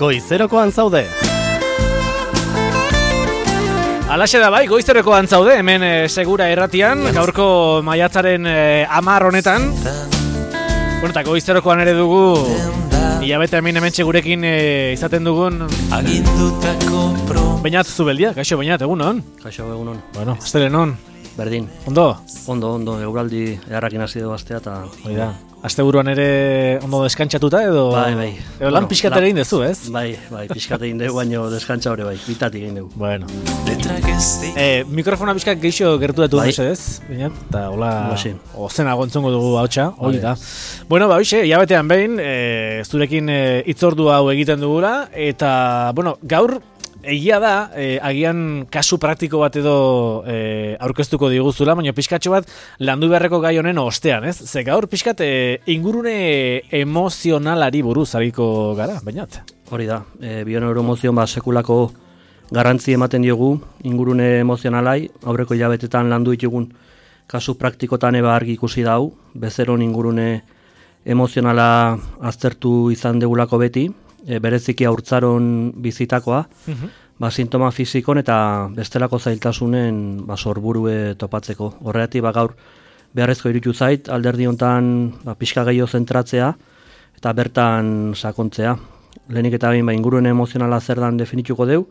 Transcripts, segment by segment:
Goizerokoan zaude. Alaxe da bai, goizerokoan zaude, hemen segura erratian, gaurko maiatzaren 10 honetan. Bueno, eta goizerokoan ere dugu, hilabete hemen gurekin izaten dugun Beñat Zubeldia, kaixo Beñat, egunon? Kaixo egunon. Bueno, astelenon. Berdin. Ondo? Ondo, eguraldi eharrakin hasi dugu astea eta... Hoi da. Asteburuan ere ondo deskantzatuta edo... Bai. Edo lan pixkat ere egin dezu, ez? Bai, pixkat egin dugu, baino deskantza hori bai, bitatik egin dugu. Bueno. Mikrofona pixkat geixo gerturatu ez? Beñat, eta hola... Ozena gontzongo dugu hautsa, hori da. Bueno, hoxe, hilabetean behin, zurekin hitzordu hau egiten dugula, eta, bueno, gaur... Egia da, agian kasu praktiko bat edo aurkeztuko diguzula, baina pixkatxo bat landu beharreko gai honen ostean, ez? Ze gaur pixkat ingurune emozionalari buruz ariko gara, Beñat? Hori da, bioneuroemozion sekulako garrantzi ematen diogu ingurune emozionalai, aurreko hilabetetan landu ditugun kasu praktikotan eba argi ikusi dau, bezeron ingurune emozionala aztertu izan degulako beti, bereziki haurtzaron bizitakoa, sintoma fizikon eta bestelako zailtasunen sorburue topatzeko. Horregatik gaur beharrezko iruditu zait, alderdi hontan pixka gehiago zentratzea eta bertan sakontzea. Lehenik eta behin ingurune emozionala zer dan definituko deu,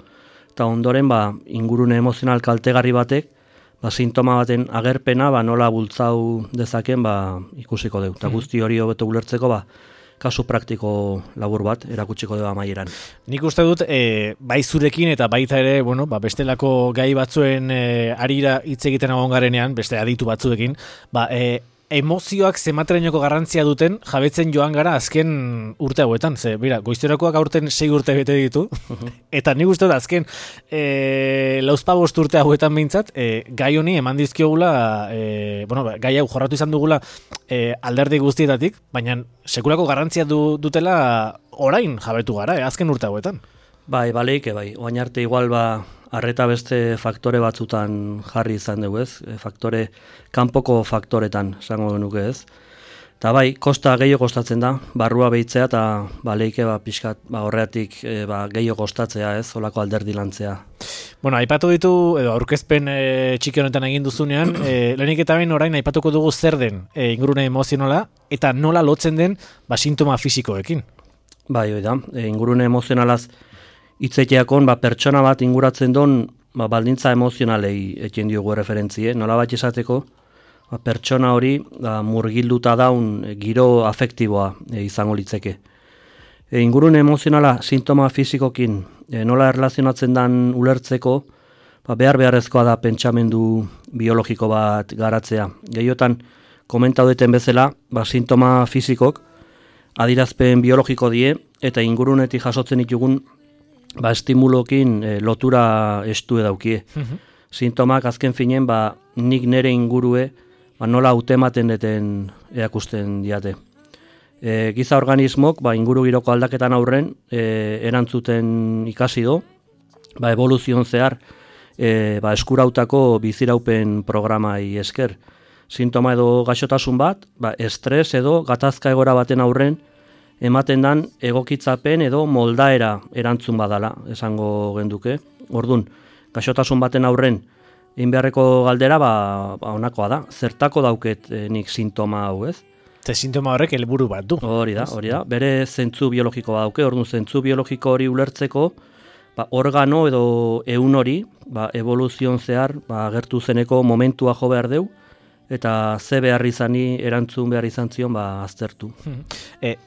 eta ondoren ingurune emozional kaltegarri batek sintoma baten agerpena nola bultzau dezaken ikusiko deu. Eta guzti hori hobeto ulertzeko kasu praktiko labur bat erakutsiko dugu amaieran. Nik uste dut, bai zurekin eta baita ere, bestelako gai batzuen arira hitz egiten egon garenean, beste aditu batzuekin, emozioak zematerainoko garrantzia duten jabetzen joan gara azken urte hauetan. Ze, goizterakoak aurten 6 urte bete ditu, eta nik uste dut azken lauzpabost urte hauetan behintzat, gai honi eman dizkiogula, gai hau jorratu izan dugula alderdi guztietatik, baina sekulako garrantzia dutela orain jabetu gara, azken urte hauetan. Bai, oain arte igual arreta beste faktore batzutan jarri izan dugu ez, kanpoko faktoretan esango genuke ez. Eta kosta gehiago kostatzen da, barrua behitzea eta leike pixkat horreatik gehiago kostatzea ez, olako alderdi lantzea. Bueno, aipatu ditu, edo aurkezpen txiki honetan egin duzunean, lehenik eta behin orain aipatuko dugu zer den ingurune emozionala, eta nola lotzen den sintoma fisikoekin. Bai, hori da, ingurune emozionalaz hitzeiteakon pertsona bat inguratzen don baldintza emozionalei ekin diogu referentzie, nola bat esateko pertsona hori murgilduta daun giro afektiboa izango litzeke. Ingurune emozionala sintoma fisikokin nola erlazionatzen dan ulertzeko beharrezkoa da pentsamendu biologiko bat garatzea. Gehiotan komentau duten bezala, sintoma fisikok adirazpen biologiko die eta ingurunetik jasotzen ditugun estimulokin lotura estue daukie. Sintomak azken finen nik nere ingurue nola hautematen deten erakusten diate. Giza organismok inguru giroko aldaketan aurren erantzuten ikasi do, evoluzion zehar eskurautako biziraupen programai esker. Sintoma edo gaixotasun bat, estres edo gatazka egora baten aurren ematen dan egokitzapen edo moldaera erantzun badala, esango genduke. Orduan, gaixotasun baten aurren, egin beharreko galdera, honakoa da, zertako dauket nik sintoma hau ez? Ze sintoma horrek helburu bat du. Hori da, bere zentzu biologiko dauke, orduan zentzu biologiko hori ulertzeko, organo edo ehun hori, evoluzion zehar, agertu zeneko momentua jo behar deu, eta ze behar izani, erantzun behar izan zion, aztertu.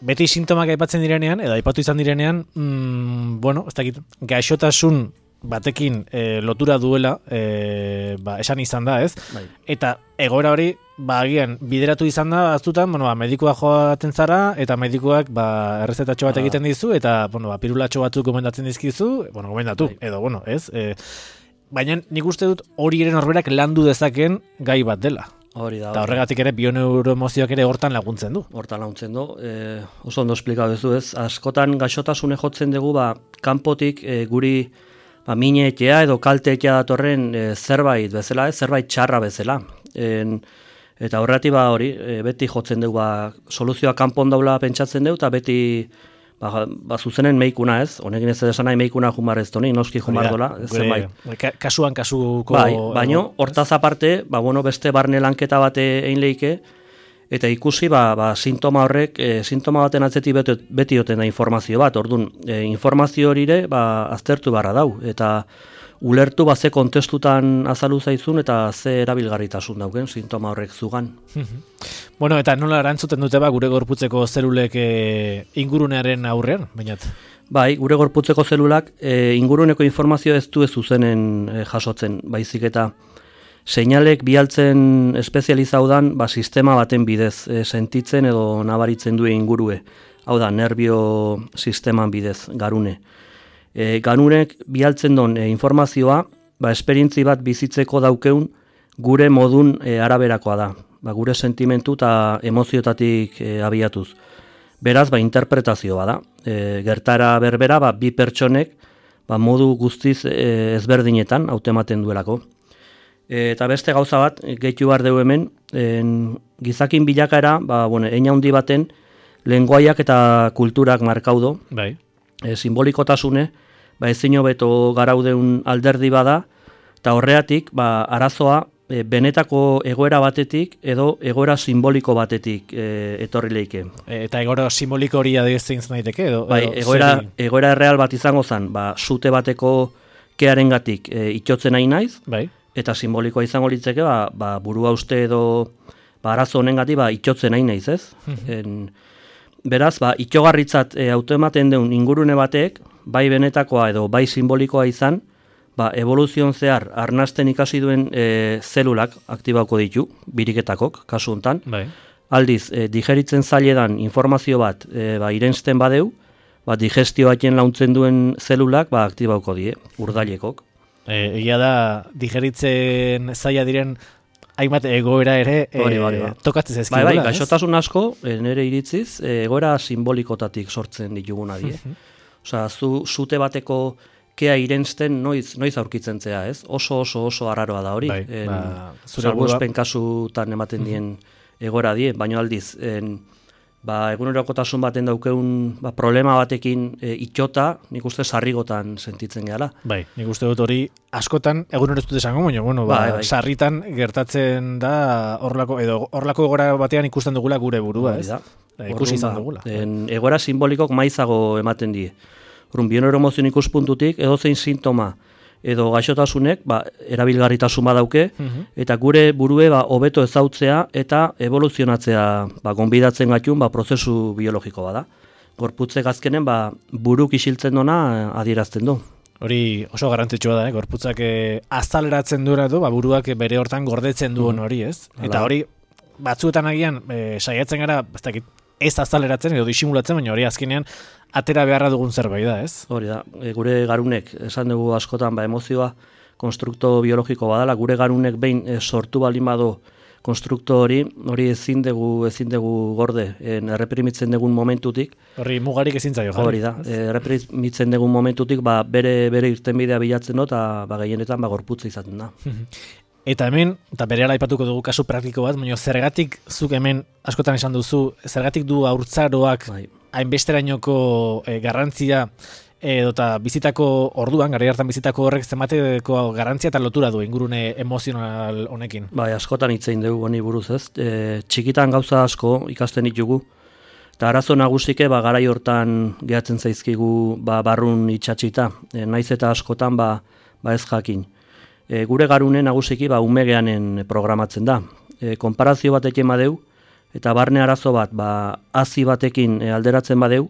Beti sintomak aipatzen direnean, edo aipatu izan direnean, ez dakit, gaixotasun batekin lotura duela, esan izan da, ez? Bai. Eta egoera hori, agian, bideratu izan da, aztutan, medikua joaten zara, eta medikuak errezetatxo bat egiten dizu, eta pirulatxo batzuk gomendatzen dizkizu, gomendatu, edo, ez? Baina nik uste dut hori ere norberak landu dezaken gai bat dela. Hori da. Eta horregatik ere bioneuroemozioak ere hortan laguntzen du. Hortan laguntzen du. Oso ondo esplikatu duzu ez. Askotan gaixotasune jotzen dugu kanpotik guri mineetea edo kalteetea datorren zerbait bezala, zerbait txarra bezala. Eta horregatik hori beti jotzen dugu soluzioa kanpon daula pentsatzen dugu eta beti zuzenen meikuna ez, honekin ez esan nahi meikuna jumar ez doni, noski jumar dola, zenbait. Kasuan kasuko... Baino, hortaz aparte, beste barne lanketa bate egin leike, eta ikusi, sintoma horrek, sintoma baten atzetik beti joten da informazio bat, orduan, informazio horire, aztertu barra dau, eta ulertu ze kontestutan azalu zaizun eta ze erabilgarritasun dauken sintoma horrek zugan. Bueno, eta nola erantzuten dute gure gorputzeko zelulek ingurunearen aurrean, bainat? Bai, gure gorputzeko zelulak inguruneko informazio ez du zuzenen jasotzen, baizik eta seinalek bialtzen espezializaudan sistema baten bidez sentitzen edo nabaritzen du ingurue. Hau da, nerbio sisteman bidez, garune. Ganunek bialtzen don informazioa, esperientzi bat bizitzeko daukeun gure modun araberakoa da. Gure sentimentu eta emoziotatik abiatuz. Beraz, interpretazioa da. Gertara berbera, bi pertsonek modu guztiz ezberdinetan hautematen duelako. Eta beste gauza bat, gehitu behar dugu hemen, gizakin bilakaera, eina handi baten, lenguaiak eta kulturak markaudo. Bai. Simbolikotasune, ezin hobeto garaudeun alderdi bada, eta horreatik, arazoa benetako egoera batetik edo egoera simboliko batetik etorri leike. Eta egoera simboliko hori adiezein daiteke edo? Egoera erreal bat izango zen, sute bateko kearengatik itxotzen nahi naiz, bai. Eta simbolikoa izango litzeke, burua uste edo arazo honengatik itxotzen nahi naiz, ez? Beraz, itxogarritzat autoematen deun ingurune batek, bai benetakoa edo bai simbolikoa izan, evoluzion zehar arnasten ikasi duen zelulak aktibauko ditu, biriketakok, kasu hontan. Bai. Aldiz, digeritzen zailedan informazio bat irensten badeu, digestioatzen launtzen duen zelulak aktibauko die, urdailekok. Egia da, digeritzen zaila diren hainbat egoera ere tokatzen zezkidula. Bai, gaixotasun asko, nire iritziz, egoera simbolikotatik sortzen dituguna die. Osea, zute bateko kea irensten noiz aurkitzen zea, ez? Oso arraroa da hori. Salbuespen kasutan ematen dien egoera die, baino aldiz, egunerokotasun baten daukeun problema batekin itxota, nik uste sarrigotan sentitzen gehala. Bai, nik uste dut hori askotan egunero ez dut esango, baina, sarritan gertatzen da horlako egoera batean ikusten dugula gure burua, ez? Ikusi izan dugula. Egoera simbolikok maizago ematen die. Bionero emozion ikuspuntutik, edozein sintoma edo gaixotasunek erabilgarritasun badauke, eta gure burue hobeto ezautzea eta evoluzionatzea gonbidatzen gatun prozesu biologiko bada. Gorputzek azkenen buruk isiltzen dona adierazten du. Hori oso garrantzitsua da, gorputzak azaleratzen duela du, buruak bere hortan gordetzen duen hori, ez? Eta hori batzuetan agian saiatzen gara, ez azaleratzen edo disimulatzen, baina hori azkenean atera beharra dugun zerbait da, ez? Hori da, gure garunek, esan dugu askotan, emozioa konstrukto biologiko badala, gure garunek behin sortu baldin bado konstrukto hori ezin dugu gorde, erreprimitzen dugun momentutik. Hori mugarik ezin zaio, jarri. Hori da, erreprimitzen dugun momentutik, bere irtenbidea bilatzen dut, eta gehienetan gorputza izaten da. Eta hemen, eta berehala aipatuko dugu kasu praktiko bat, baina zergatik zuk hemen askotan esan duzu, zergatik du haurtzaroak hainbesterainoko garrantzia eta bizitako orduan, garai hartan bizitako horrek zenbateko garrantzia eta lotura du ingurune emozional honekin. Askotan hitzein dugu honi buruz, ez? Txikitan gauza asko ikasten ditugu, eta arazo nagusike garai hortan gehatzen zaizkigu barrun itxatxita, naiz eta askotan ez jakin. Gure garune nagusiki umegeanen programatzen da. Konparazio batekin badeu, eta barne arazo bat hazi batekin alderatzen badeu,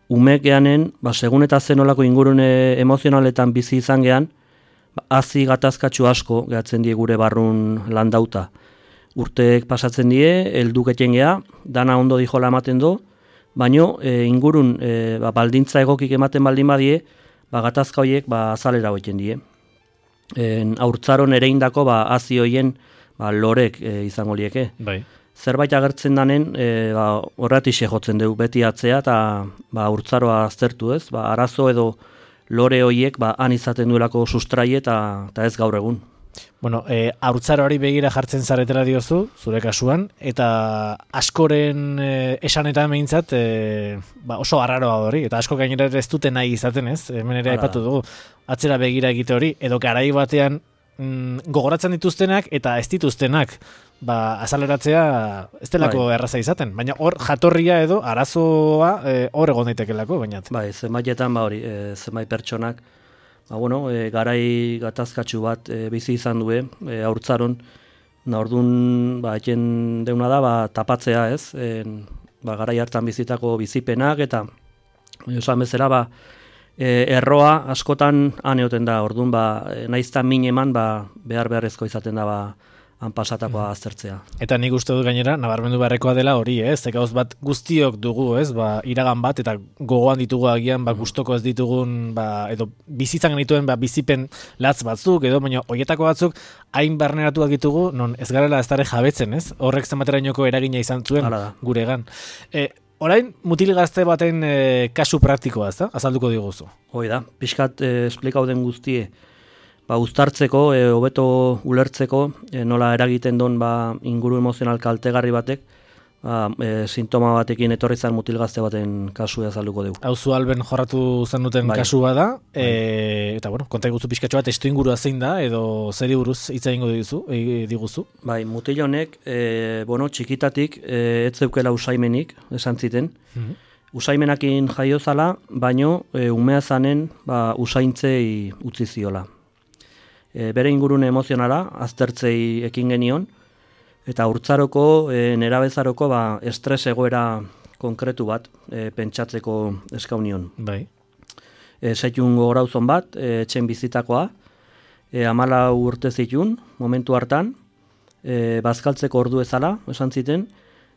umegeanen, segun eta zenolako ingurune emozionaletan bizi izan gean, hazi gatazkatxu asko gehatzen die gure barrun landauta. Urteek pasatzen die, helduketen gea, dana ondo dijola ematen do, baino ingurun baldintza egokik ematen baldin badie, gatazka horiek azalera hoiten die. Haurtzaron ereindako hazi hoien lorek izango lieke. Bai. Zerbait agertzen danen horratixe jotzen dugu beti atzea eta haurtzaroa aztertu, ez? Arazo edo lore hoiek han izaten duelako sustraie eta ez gaur egun. Bueno, haurtzaroari begira jartzen zaretela diozu, zure kasuan, eta askoren esanetan behintzat oso arraroa hori, eta asko gainera ez dute nahi izaten, ez? Hemen ere aipatu dugu, atzera begira egite hori, edo garai batean gogoratzen dituztenak eta ez dituztenak azaleratzea ez delako erraza izaten, baina hor jatorria edo arazoa hor egon daitekelako, baina. Zenbaitetan hori, zenbait pertsonak garai gatazkatsu bat bizi izan du haurtzaron, orduan eten deuna da tapatzea, ez? Garai hartan bizitako bizipenak eta esan bezala erroa askotan aneoten da, orduan naizta min eman behar beharrezko izaten da han pasatakoa aztertzea. Eta nik uste dut gainera, nabarmendu beharrekoa dela hori, ez? Gauz bat guztiok dugu, ez? Iragan bat, eta gogoan ditugu agian, gustoko ez ditugun, edo bizitzan genituen bizipen latz batzuk, edo baina horietako batzuk hain barneratuak ditugu, non ez garela ez dara jabetzen, ez? Horrek zenbaterainoko eragina izan zuen guregan. Orain, mutil gazte baten kasu praktikoa, ez da? Azalduko diguzu. Hoi da, pixkat esplikau den guztie, uztartzeko, hobeto ulertzeko, nola eragiten don inguru emozional kaltegarri batek, sintoma batekin etorri zan mutil gazte baten kasua azalduko dugu. Hau zu alben jorratu zen duten kasua da, eta konta iguzu pixkatxo bat, estu ingurua zein da, edo zeri buruz hitz egingo diguzu? Mutil honek, txikitatik, ez zeukela usaimenik, esan ziten, usaimenakin jaiozala, baino umea zanen usaintzei utzi ziola. Bere ingurune emozionala, aztertzei ekin genion, eta haurtzaroko, nerabezaroko estres egoera konkretu bat pentsatzeko eskaunion. Bai. Setxun gogorauzon bat, etxen bizitakoa, 14 urte zitun, momentu hartan, bazkaltzeko ordu ezala, esan ziten,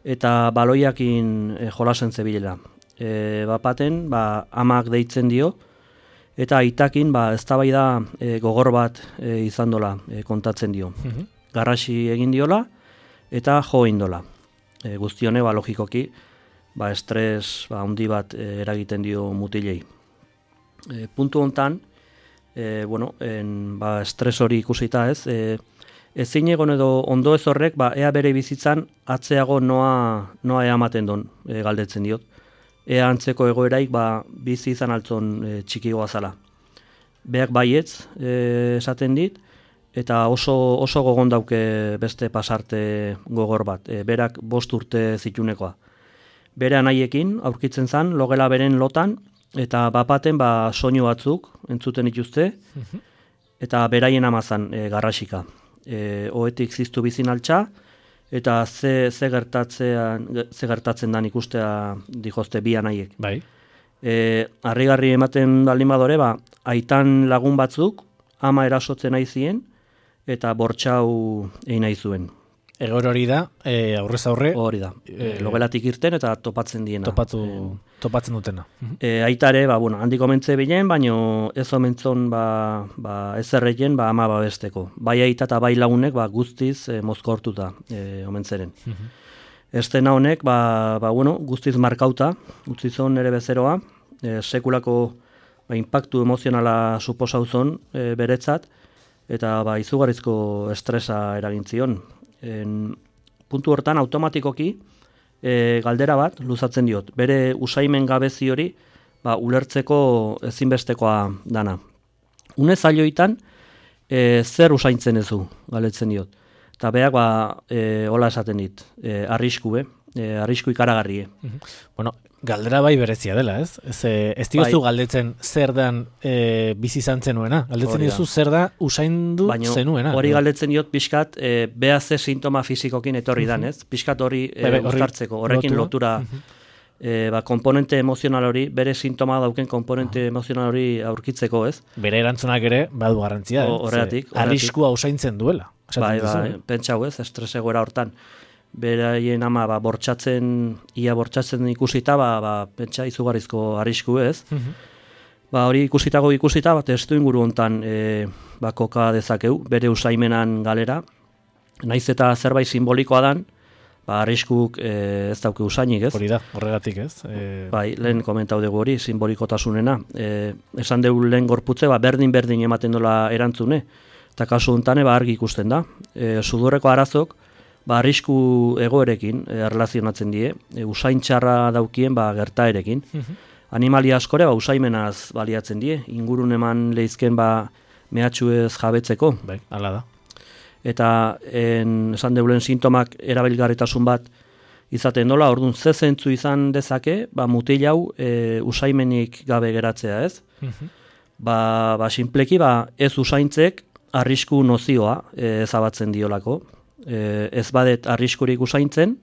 eta baloiakin jolasen zebilela. Bapaten, amak deitzen dio, eta aitakin eztabaida gogor bat izan dola kontatzen dio. Garrasi egin diola eta jo indola. Guztione logikoki estres handi bat eragiten dio mutilei. Puntu hontan, estres hori ikusita ez, ezin egon edo ondo ez horrek ea bere bizitzan atzeago noa eamaten don galdetzen diot. Ea antzeko egoeraik bizi izan altzon txikigoa zala. Beak baietz esaten dit, eta oso gogon dauke beste pasarte gogor bat. Berak 5 urte zitunekoa. Bere anaiekin aurkitzen zan, logela beren lotan, eta bapaten soinu batzuk entzuten dituzte, eta beraien amazan garrasika. Oetik ziztu bizin altxa, eta ze gertatzen dan ikustea dijozte bi anaiek. Bai. Harrigarri ematen baldin badore, aitan lagun batzuk ama erasotzen nahi zien eta bortxau egin nahi zuen. Egor hori da, aurrez aurre. Hori da, logelatik irten eta topatzen diena. Topatzen dutena. Aitare, handik omentze bilen, baino ez omentzon ez erreien ama babesteko. Bai aita eta bai lagunek guztiz mozkortuta omentzeren. Estena honek, guztiz markauta, utzizon ere bezeroa, sekulako impactu emozionala suposauzon beretzat, eta izugarrizko estresa eragintzion. Puntu hortan automatikoki galdera bat luzatzen diot. Bere usaimen gabezi hori ulertzeko ezinbestekoa dana. Une zailoitan zer usaintzen ezu galdetzen diot. Eta beak hola esaten dit. Arrisku ikaragarrie. Galdera bai berezia dela, ez? Ez diozu galdetzen zer dan bizi izan zenuena. Galdetzen diozu zer da usaindu zenuena. Hori galdetzen diot pixkat, beha ze sintoma fizikokin etorri dan, ez? Pixkat hori uztartzeko, horrekin lotura, komponente emozional hori, bere sintoma dauken komponente emozional hori aurkitzeko, ez? Bere erantzunak ere badu garrantzia, horregatik. Arriskua usaintzen duela. Pentsau, ez? Estres egoera hortan. Beraien ama ia bortxatzen ikusita, pentsa izugarrizko arrisku ez. Hori ikusita, testu inguru hontan koka dezakeu, bere usaimenan galera. Naiz eta zerbait simbolikoa dan, arriskuk ez dauke usainik ez. Hori da, horregatik ez. Lehen komentau dugu hori, simbolikotasunena. Esan dugu lehen gorputze, berdin ematen dola erantzune. Eta kasu honetan argi ikusten da. Sudurreko arazok arrisku egoerekin erlazionatzen die, usain txarra daukien gertaerekin. Animalia askore usaimenaz baliatzen die, ingurun eman lehizken mehatxuez jabetzeko. Bai, hala da. Eta esan deulen sintomak erabilgarritasun bat izaten dola, orduan ze zentzu izan dezake, mutil hau usaimenik gabe geratzea, ez? Sinpleki ez usaintzek arrisku nozioa ezabatzen diolako. Ez badet arriskurik usaintzen,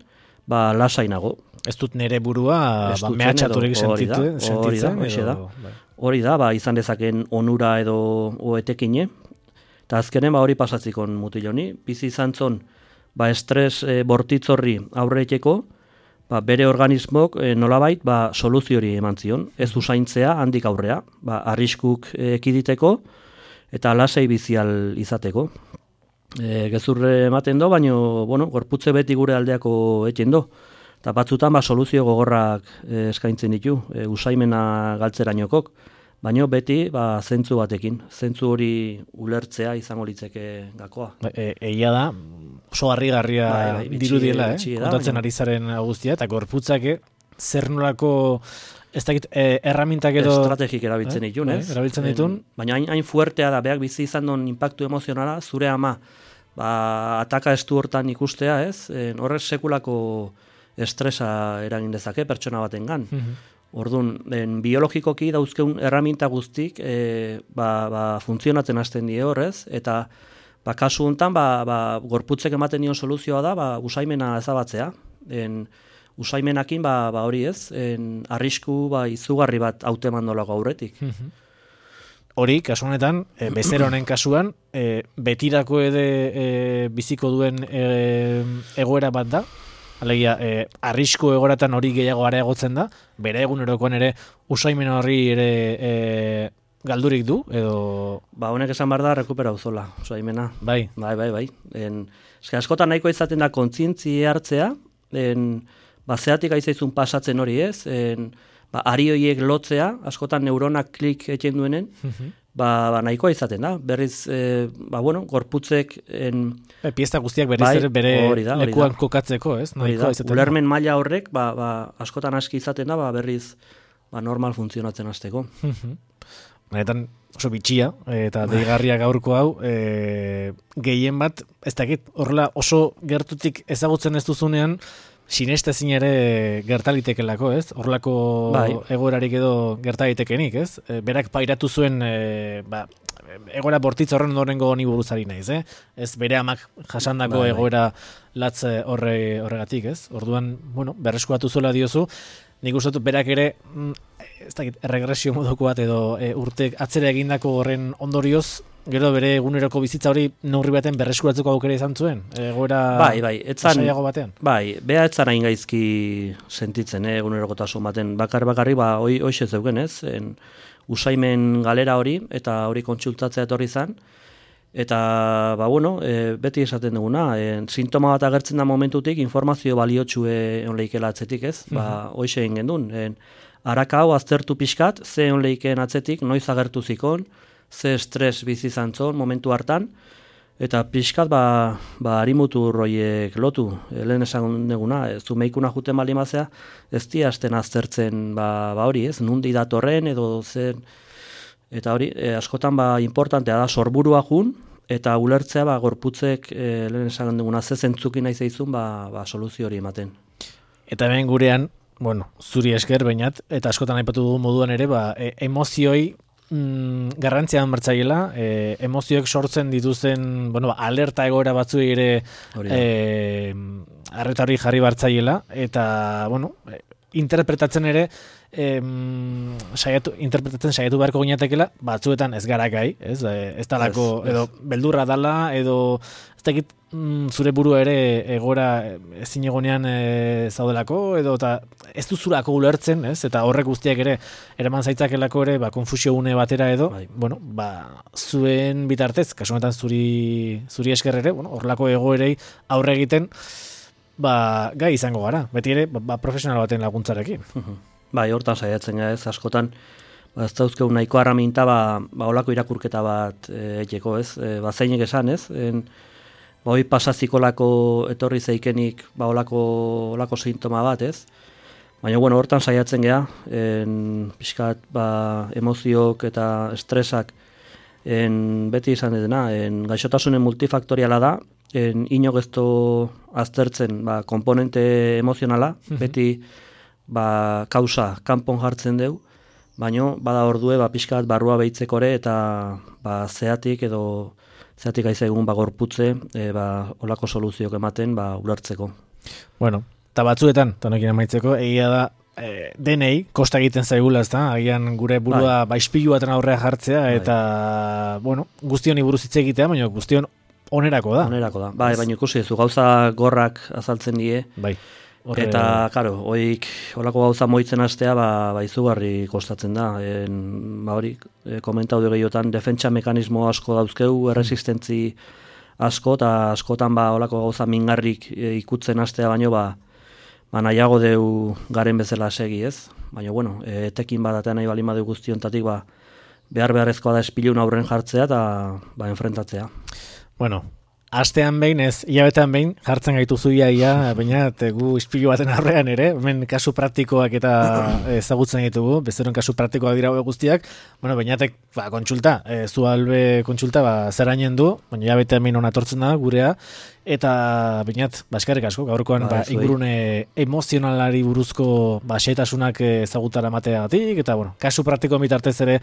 lasainago. Ez dut nire burua mehatxaturik sentitzen. Hori da, izan dezaken onura edo etekine. Eta azkenen hori pasatzikon mutil honi. Bizi izan zon, estres bortitzorri aurreiteko, bere organismok nolabait soluziori eman zion. Ez usaintzea handik aurrea, arriskuk ekiditeko eta lasai bizial izateko. Gezurre ematen do, baina gorputze beti gure aldeako eten do. Eta batzutan soluzio gogorrak eskaintzen ditu, usaimena galtzerainokok, baina beti zentzu batekin. Zentzu hori ulertzea izango litzeke gakoa. Egia da, oso harrigarria dirudiela, kontatzen ari zaren guztia, eta gorputzak zer nolako ez dakit erramintak edo estrategik erabiltzen ditun, ez? Erabiltzen ditun. Baina hain fuertea da, beak bizi izan duen impactu emozionala, zure ama ataka estu hortan ikustea, ez? Horrek sekulako estresa eragin dezake pertsona batengan. Orduan, biologikoki dauzkeun erraminta guztik funtzionatzen hasten die horrez, eta kasu honetan gorputzek ematen dion soluzioa da usaimena ezabatzea. Usaimenakin hori ez, arrisku izugarri bat hauteman dolako aurretik. Hori, kasu honetan, bezero honen kasuan, betirako biziko duen egoera bat da, alegia, arrisku egoratan hori gehiago areagotzen da, bere egunerokoan ere usaimen horri ere galdurik du, edo... Honek esan behar da, rekuperau zola, usaimena. Bai. Bai. Askotan nahiko izaten da kontzientzia hartzea, zeatik aizaizun pasatzen hori ez, ari horiek lotzea, askotan neuronak klik eten duenen, nahikoa izaten da. Berriz, gorputzek... Piesta guztiak berriz bere lekuan kokatzeko, ez? Ulermen maila horrek, askotan aski izaten da, berriz normal funtzionatzen hasteko. Benetan oso bitxia, eta deigarria gaurko hau, gehien bat, ez dakit, horrela oso gertutik ezagutzen ez duzunean, sinestezin ere gertalitekelako, ez? Horrelako egoerarik edo gertalitekenik, ez? Berak pairatu zuen egoera bortitz horren ondorengo honi buruzari naiz, ez bere amak jasandako egoera latz horregatik, ez? Orduan, berreskuratu zuela diozu, nik uste dut berak ere, ez dakit, erregresio moduko bat edo urtek atzera egindako horren ondorioz, gero bere eguneroko bizitza hori neurri baten berreskuratzeko aukera izan zuen, egoera saiago batean. Bea etzan hain gaizki sentitzen, egunerokotasun baten, bakarri, hoxe zeugen, ez? Usaimen galera hori, eta hori kontsultatzea etorri zan, eta, beti esaten duguna, sintoma bat agertzen da momentutik, informazio baliotxue onleikela atzetik, ez? Hoxe egin gendun. Araka hau aztertu pixkat, ze onleiken atzetik, noiz agertu zikon, ze estres bizi zantzon momentu hartan, eta pixkat harimutur horiek lotu, lehen esan duguna, zumeikuna juten bali mazea, ez di hasten aztertzen hori ez, nundi datorren edo zen, eta hori askotan importantea da sorburua jun, eta ulertzea gorputzek lehen esan duguna ze zentzukin nahi zeizun soluzio hori ematen. Eta hemen gurean, zuri esker bainat, eta askotan aipatu dugu moduan ere, emozioi garrantzian martzaiela, emozioek sortzen dituzten, alerta egoera batzuei ere arreta hori jarri bartzaiela, eta, interpretatzen ere, interpretatzen saiatu beharko ginetekela, batzuetan ez gara gai, ez talako, edo beldurra dala, edo ez dakit zure burua ere egora ezin egonean zaudelako, edo eta ez duzulako ulertzen, ez? Eta horrek guztiak ere eraman zaitzakelako ere konfusio une batera edo, zuen bitartez, kasu honetan zuri esker ere, horrelako egoerei aurre egiten, gai izango gara, beti ere profesional baten laguntzarekin. Hortan saiatzen gara ez, askotan, ez dauzkeu nahiko arraminta, olako irakurketa bat etxeko, ez? Zeinek esan, ez? Hoi pasazikolako etorri zeikenik olako sintoma bat, ez? Baina, hortan saiatzen geha, pixkat, emozioak eta estresak beti izan dena, gaixotasunen multifaktoriala da, inok ez du aztertzen komponente emozionala, beti kausa kanpon jartzen deu, baina bada ordue pixkat barrua behitzekore eta zeatik aizegun gorputze olako soluzioak ematen ulertzeko. Bueno, eta batzuetan, tonekin amaitzeko, egia da, denei, kosta egiten zaigula, ez da, agian gure burua ispilu baten aurrea jartzea, eta, guztion buruz hitz egitea, baina guztion onerako da. Onerako da, baina ikusi ez, gauza gorrak azaltzen die, eta, karo, olako gauza moitzen hastea, izugarri kostatzen da, hori, komentaude gehiotan, defentsa mekanismo asko dauzkeu, erresistentzi asko, eta askotan olako gauza mingarrik ikutzen hastea baino, nahiago deu garen bezala segi, ez? Baina, etekin badatean nahi balima deu guztiontatik, beharrezkoa da espilun aurren jartzea eta enfrentatzea. Bueno, astean behin ez, hilabetean behin, jartzen gaitu zuia, baina gu ispilu baten aurrean ere, hemen kasu praktikoak eta ezagutzen ditugu, bezeroen kasu praktikoak dira guztiak, bainatek kontsulta, Zualbe kontsulta zerainen du, baina hilabetean behin onatortzen da gurea, eta bainat, eskerrik asko, gaurkoan ingurune emozionalari buruzko xehetasunak ezagutara mateagatik, eta kasu praktikoan bitartez ere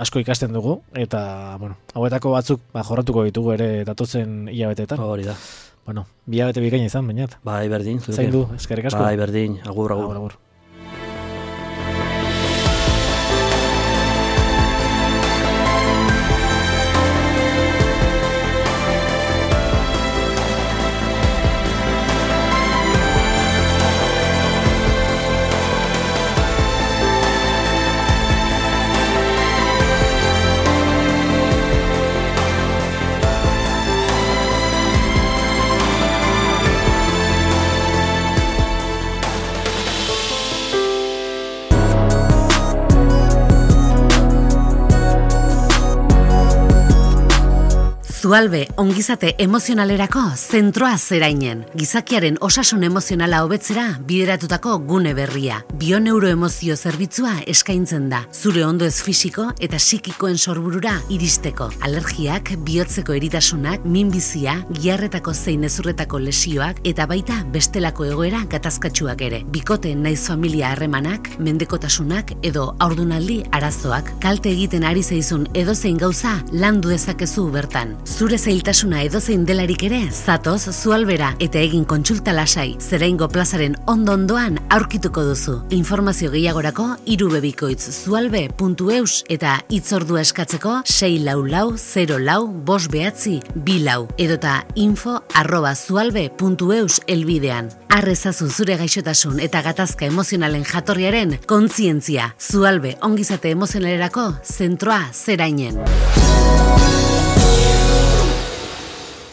asko ikasten dugu, eta hauetako batzuk jorratuko ditugu ere datotzen hilabeteetan. Hori da. Bi hilabete bikaina izan, bainat. Berdin. Zain du, eskerrik asko. Berdin, agur. Zualbe ongizate emozionalerako zentroa zerainen. Gizakiaren osasun emozionala hobetzera bideratutako gune berria. Bioneuroemozio zerbitzua eskaintzen da. Zure ondoez fisiko eta psikikoen sorburura iristeko. Alergiak, bihotzeko eritasunak, minbizia, giharretako zein ezurretako lesioak eta baita bestelako egoera gatazkatsuak ere. Bikote naiz familia harremanak, mendekotasunak edo haurdunaldi arazoak. Kalte egiten ari zaizun edozein gauza landu dezakezu bertan. Zure zailtasuna edozein delarik ere, zatoz Zualbera eta egin kontsulta lasai, Zeraingo plazaren ondoan aurkituko duzu. Informazio gehiagorako irubebikoitz.zualbe.eus eta hitzordua eskatzeko 644-04-592 edota info@zualbe.eus elbidean. Arrezazu zure gaixotasun eta gatazka emozionalen jatorriaren kontzientzia. Zualbe ongizate emozionalerako zentroa zerainen.